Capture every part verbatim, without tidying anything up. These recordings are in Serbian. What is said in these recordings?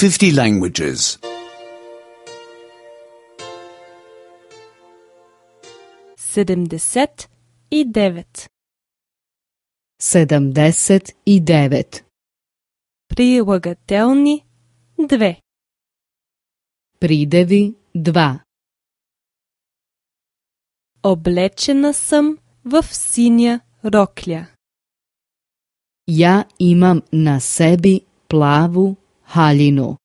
fifty languages. sedamdeset i devet. Sedamdeset i devet. Прилагателни две. Приdevi dva. Облечена съм в синя рокля. Ja imam na sebi plavu haljinu.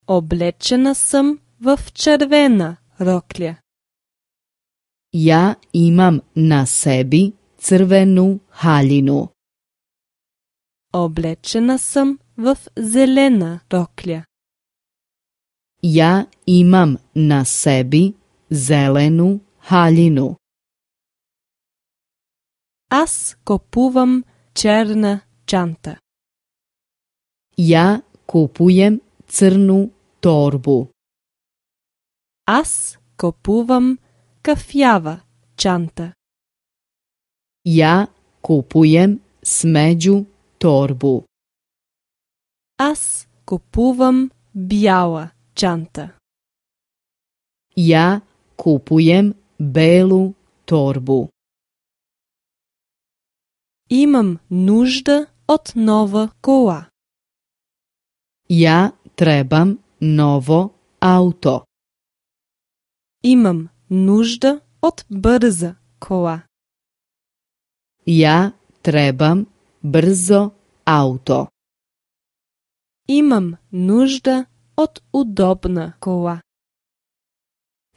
Облечена съм в червена рокля. Ja imam na sebi crvenu haljinu. Облечена съм в зелена рокля. Ja imam na sebi zelenu haljinu. Аз купувам черна чанта. Ja kupujem crnu torbu. Аз купувам кафява чанта. Ja kupujem smeđu torbu. Аз купувам бяла чанта. Ja kupujem belu torbu. Имам нужда от нова кола. Ja trebam novo auto. Имам нужда от бърза кола. Ja trebam brzo auto. Имам нужда от удобна кола.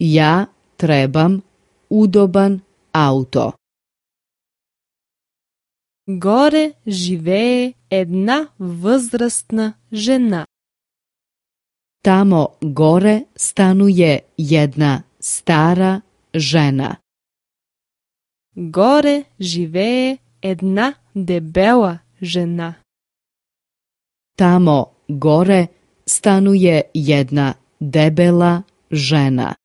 Ja trebam udoban auto. Горе живее една възрастна жена. Tamo gore stanuje jedna stara žena. Горе живее една дебела жена. Tamo gore stanuje jedna debela žena.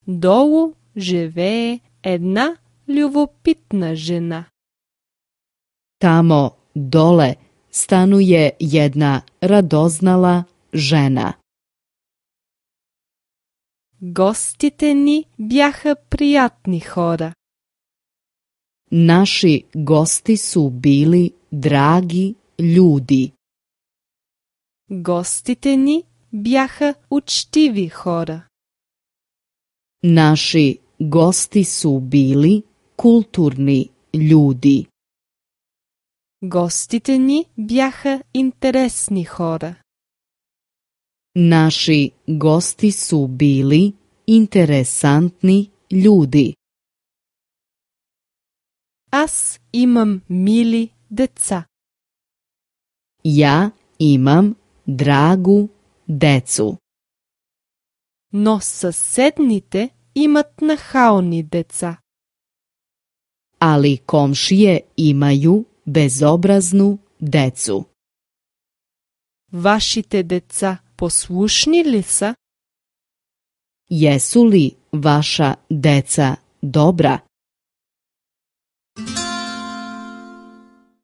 Долу живее една любопитна жена. Tamo dole stanuje jedna radoznala žena. Гостите ни бяха приятни хора. Naši gosti su bili dragi ljudi. Гостите ни бяха учтиви хора. Naši gosti su bili kulturni ljudi. Гостите ни бяха интересни хора. Naši gosti su bili interesantni ljudi. Аз имам мили деца. Ja imam dragu decu. Но съседните имат нахални деца. Ali komšije imaju bezobraznu decu. Вашите деца послушни ли са? Jesu li vaša deca dobra?